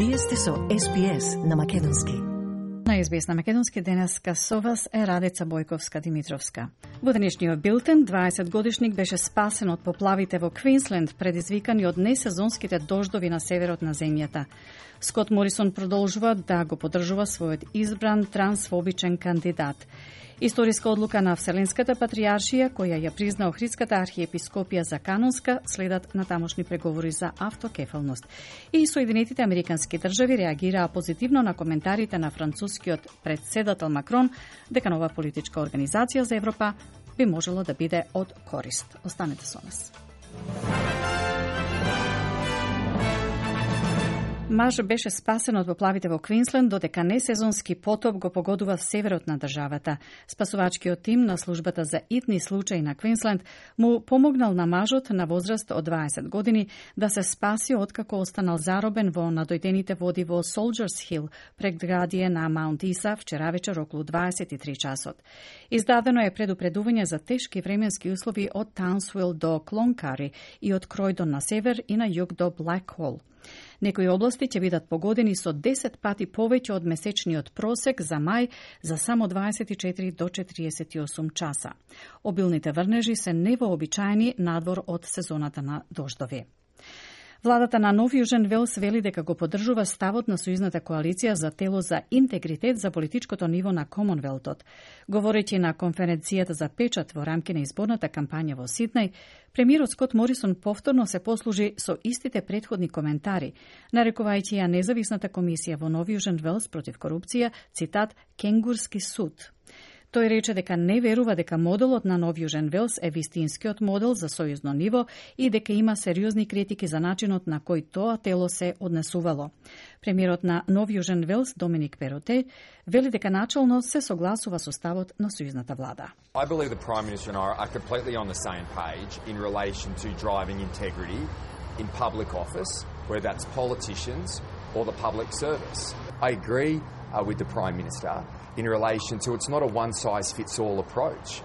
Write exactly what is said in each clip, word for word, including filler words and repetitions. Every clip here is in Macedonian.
Вие сте со Ес Би Ес на македонски. На Ес Би Ес на македонски денеска со вас е Радица Бојковска-Димитровска. Во денешниот билтен, дваесет годишник беше спасен од поплавите во Квинсленд, предизвикани од несезонските дождови на северот на земјата. Скот Морисон продолжува да го поддржува својот избран трансфобичен кандидат. Историска одлука на Вселенската патријаршија, која ја призна Охридската архиепископија за канонска, следат на тамошни преговори за автокефалност. И Соединетите Американски држави реагираа позитивно на коментарите на францускиот председател Макрон дека нова политичка организација за Европа би можело да биде од корист. Останете со нас. Маж беше спасен од поплавите во Квинсленд, додека несезонски потоп го погодува северот на државата. Спасувачкиот тим на службата за итни случаи на Квинсленд му помогнал на мажот на возраст од дваесет години да се спаси откако останал заробен во надојдените води во Солџерс Хил, предградие на Маунт Иса, вчера вечер околу дваесет и три часот. Издадено е предупредување за тешки временски услови од Таунсвил до Клонкари и од Кројдон на север и на југ до Блак Хол. Некои области ќе бидат погодени со десет пати повеќе од месечниот просек за мај за само дваесет и четири до четириесет и осум часа. Обилните врнежи се невообичаени надвор од сезоната на дождови. Владата на Нов Јужен Велс вели дека го поддржува ставот на сојузната коалиција за тело за интегритет за политичкото ниво на Комонвелтот. Говорејќи на конференцијата за печат во рамки на изборната кампања во Сиднеј, премиерот Скот Морисон повторно се послужи со истите претходни коментари, нарекувајќи ја независната комисија во Нов Јужен Велс против корупција, цитат, кенгурски суд. Тој рече дека не верува дека моделот на Нов Јужен Велс е вистинскиот модел за сојузно ниво и дека има сериозни критики за начинот на кој тоа тело се однесувало. Премиерот на Нов Јужен Велс, Доминик Пероте, вели дека начелно се согласува со ставот на сојузната влада. I believe the Prime Minister and I are completely on the same page in relation to driving integrity in public office, whether that's politicians or the public service. I agree uh, with the Prime Minister in relation to it's not a one-size-fits-all approach.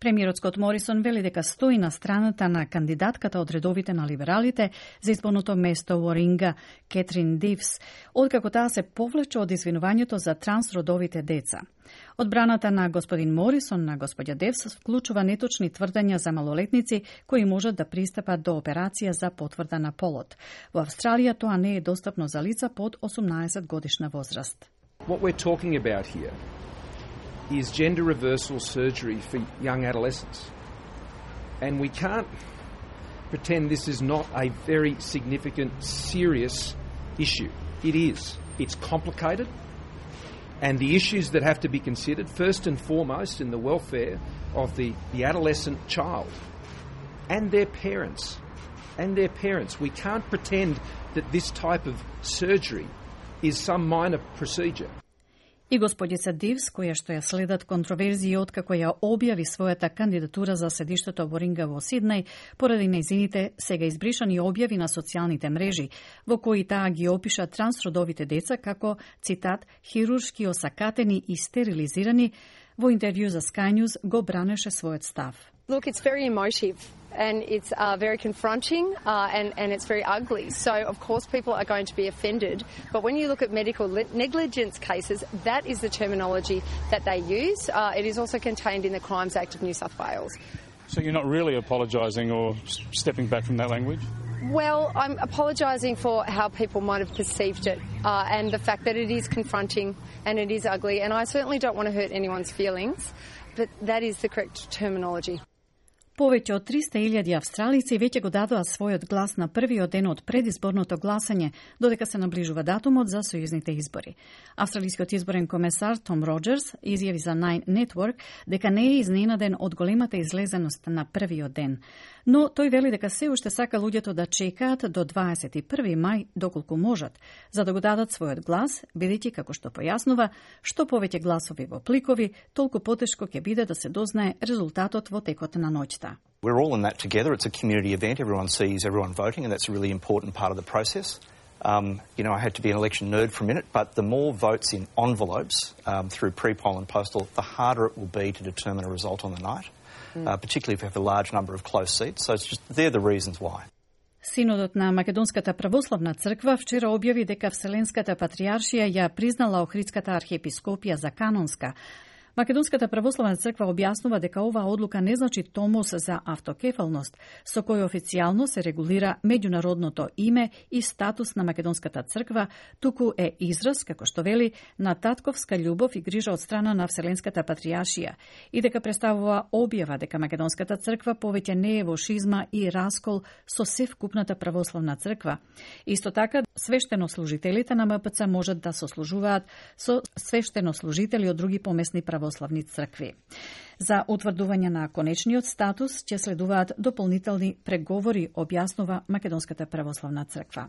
Премиерот Скот Морисон вели дека стои на страната на кандидатката од редовите на либералите за изборното место во Ринга, Кетрин Дивс, откако таа се повлече од извинувањето за трансродовите деца. Одбраната на господин Морисон на господја Девс вклучува неточни тврдења за малолетници кои можат да пристапат до операција за потврда на полот. Во Австралија тоа не е достапно за лица под осумнаесет годишна возраст. What we're talking about here is gender reversal surgery for young adolescents. And we can't pretend this is not a very significant, serious issue. It is. It's complicated. And the issues that have to be considered, first and foremost, in the welfare of the, the adolescent child and their parents. And their parents. We can't pretend that this type of surgery is some minor procedure. И господица Дивс, која што ја следат контроверзии откако ја објави својата кандидатура за седиштето во Ринга во Сиднеј, поради нејзините сега избришани објави на социјалните мрежи, во кои таа ги опиша трансродовите деца како, цитат, хируршки осакатени и стерилизирани, во интервју за Sky News го бранеше својот став. Look, it's very emotive and it's uh, very confronting uh, and, and it's very ugly. So, of course, people are going to be offended. But when you look at medical negligence cases, that is the terminology that they use. Uh, it is also contained in the Crimes Act of New South Wales. So you're not really apologising or stepping back from that language? Well, I'm apologising for how people might have perceived it uh, and the fact that it is confronting and it is ugly. And I certainly don't want to hurt anyone's feelings, but that is the correct terminology. Повеќе од триста илјади австралици веќе го дадоа својот глас на првиот ден од предизборното гласање, додека се наближува датумот за сојузните избори. Австралискиот изборен комесар Том Роџерс изјави за Nine Network дека не е изненаден од големата излезеност на првиот ден. Но тој вели дека се уште сака луѓето да чекаат до дваесет и први мај доколку можат, за да го дадат својот глас, бидејќи, како што појаснува, што повеќе гласови во пликови, толку потешко ќе биде да се дознае резултатот во текот на ноќта. We're all in that together. It's a community event. Everyone sees everyone voting, and that's a really important part of the process. Um, you know, I had to be an election nerd for a minute, but the more votes in envelopes um, through pre-poll and postal, the harder it will be to determine a result on the night, mm. uh, particularly if you have a large number of close seats. So it's just, they're the reasons why. Синодот на Македонската православна црква вчера објави дека Вселенската патријаршија ја признала Охридската архиепископија за канонска. Македонската православна црква објаснува дека оваа одлука не значи томос за автокефалност, со кој официјално се регулира меѓународното име и статус на Македонската црква, туку е израз, како што вели, на татковска љубов и грижа од страна на Вселенската патријаршија и дека представува објава дека Македонската црква повеќе не е во шизма и раскол со севкупната православна црква. Исто така, свештенослужителите на ем пе це можат да сослужуваат со свештенослужители од други помесни православни православни цркви. За утврдување на конечниот статус ќе следуваат дополнителни преговори, објаснува Македонската православна црква.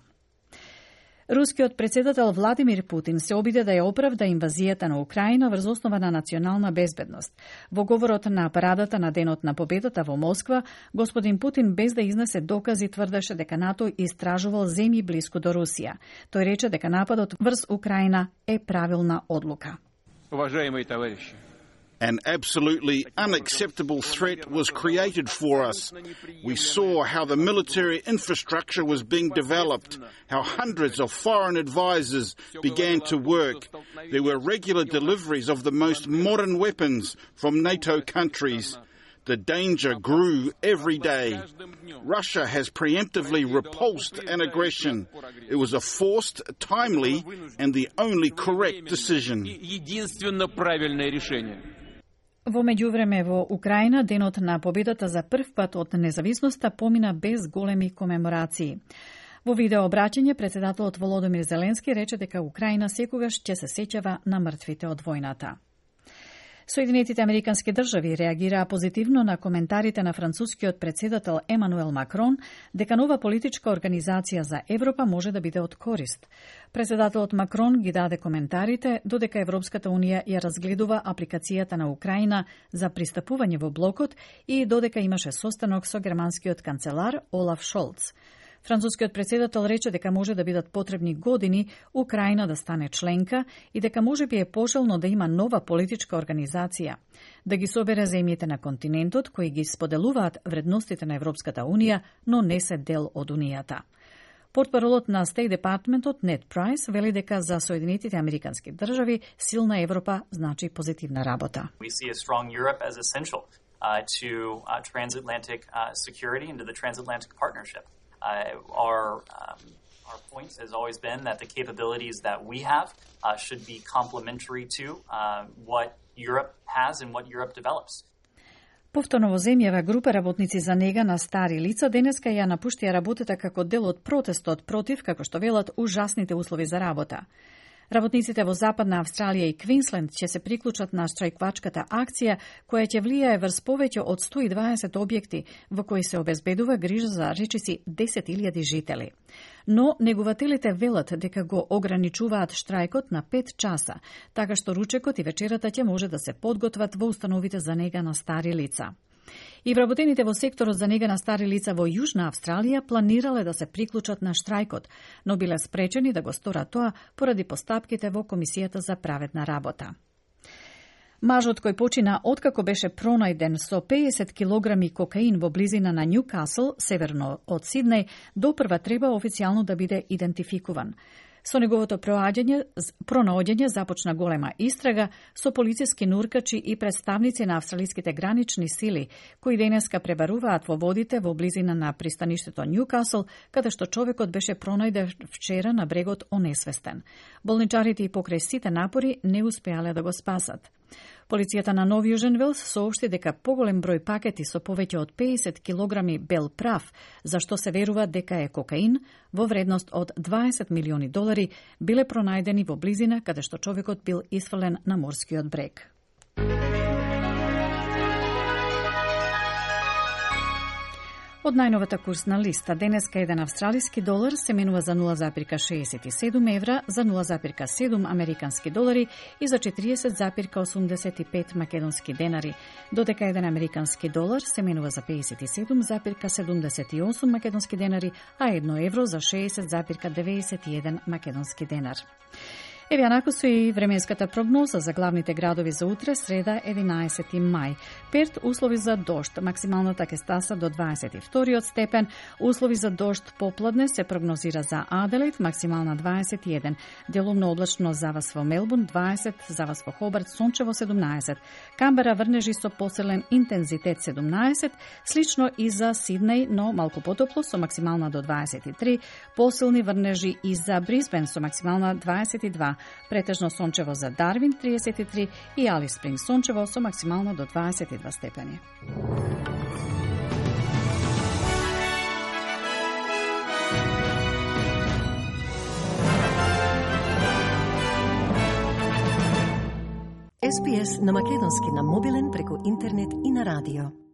Рускиот председател Владимир Путин се обиде да ја оправда инвазијата на Украина врз основа на национална безбедност. Во говорот на парадата на Денот на победата во Москва, господин Путин без да изнесе докази тврдеше дека НАТО истражувал земји блиску до Русија. Тој рече дека нападот врз Украина е правилна одлука. Уважаемые товарищи, An absolutely unacceptable threat was created for us. We saw how the military infrastructure was being developed, how hundreds of foreign advisors began to work. There were regular deliveries of the most modern weapons from NATO countries. The danger grew every day. Russia has preemptively repulsed an aggression. It was a forced, timely, and the only correct decision. Во меѓувреме во Украина денот на победата за прв пат од независноста помина без големи комеморации. Во видео обраќање председателот Володимир Зеленски рече дека Украина секогаш ќе се сеќава на мртвите од војната. Соединетите американски држави реагираа позитивно на коментарите на францускиот председател Емануел Макрон дека нова политичка организација за Европа може да биде од корист. Председателот Макрон ги даде коментарите додека Европската унија ја разгледува апликацијата на Украина за пристапување во блокот и додека имаше состанок со германскиот канцелар Олаф Шолц. Францускиот председател рече дека може да бидат потребни години Украина да стане членка и дека можеби е пожелно да има нова политичка организација, да ги собере земјите на континентот кои ги споделуваат вредностите на Европската унија, но не се дел од унијата. Портпаролот на State Departmentот Нед Прайс вели дека за Соединетите американски држави силна Европа значи позитивна работа. We see a strong Europe as essential uh, to uh, transatlantic uh, security and to the transatlantic partnership. Uh, our um, our point has always been that the capabilities that we have uh, should be complementary to uh, what Europe has and what Europe develops. Повторно во земјава група работници за нега на стари лица денеска ја напуштија работата како дел од протестот против, како што велат, ужасните услови за работа. Работниците во Западна Австралија и Квинсленд ќе се приклучат на штрајквачката акција која ќе влијае врз повеќе од сто и дваесет објекти во кои се обезбедува грижа за речиси десет илјади жители. Но негователите велат дека го ограничуваат штрајкот на пет часа, така што ручекот и вечерата ќе може да се подготват во установите за нега на стари лица. И вработените во секторот за нега на стари лица во Јужна Австралија планирале да се приклучат на штрајкот, но биле спречени да го сторат тоа поради постапките во Комисијата за праведна работа. Мажот кој почина откако беше пронајден со педесет килограми кокаин во близина на Њукасл, северно од Сиднеј, допрва треба официјално да биде идентификуван. Со неговото проаѓање, пронаоѓање започна голема истрага со полициски нуркачи и представници на австралиските гранични сили, кои денеска пребаруваат во водите во близина на пристаништето Њукасл, каде што човекот беше пронајден вчера на брегот онесвестен. Болничарите и покрај сите напори не успеале да го спасат. Полицијата на Нов Јужен Велс соопшти дека поголем број пакети со повеќе од педесет килограми бел прав, за што се верува дека е кокаин, во вредност од дваесет милиони долари, биле пронајдени во близина каде што човекот бил исфрлен на морскиот брег. Од најновата курсна листа, денеска еден австралиски долар се менува за нула запирка шеесет и седум евра, за нула запирка седум американски долари и за четириесет запирка осумдесет и пет македонски денари, додека еден американски долар се менува за педесет и седум запирка седумдесет и осум македонски денари, а едно евро за шеесет запирка деведесет и еден македонски денар. Еве анако со и временската прогноза за главните градови за утре, среда единаесети мај. Перт услови за дожд, максималната ќе стаса до дваесет и втори степен, услови за дожд попладне се прогнозира за Аделаид, максимална дваесет и еден, делумно облачно за вас во Мелбурн дваесет, за вас во Хобарт сончево седумнаесет, Камбера врнежи со посилен интензитет седумнаесет, слично и за Сиднеј, но малку потопло со максимална до дваесет и три, посилни врнежи и за Брисбен со максимална дваесет и два, претежно сончево за Дарвин триесет и три и Алис Спрингс сончево со максимално до дваесет и два степени. Ес Би Ес на македонски на мобилен преку интернет и на радио.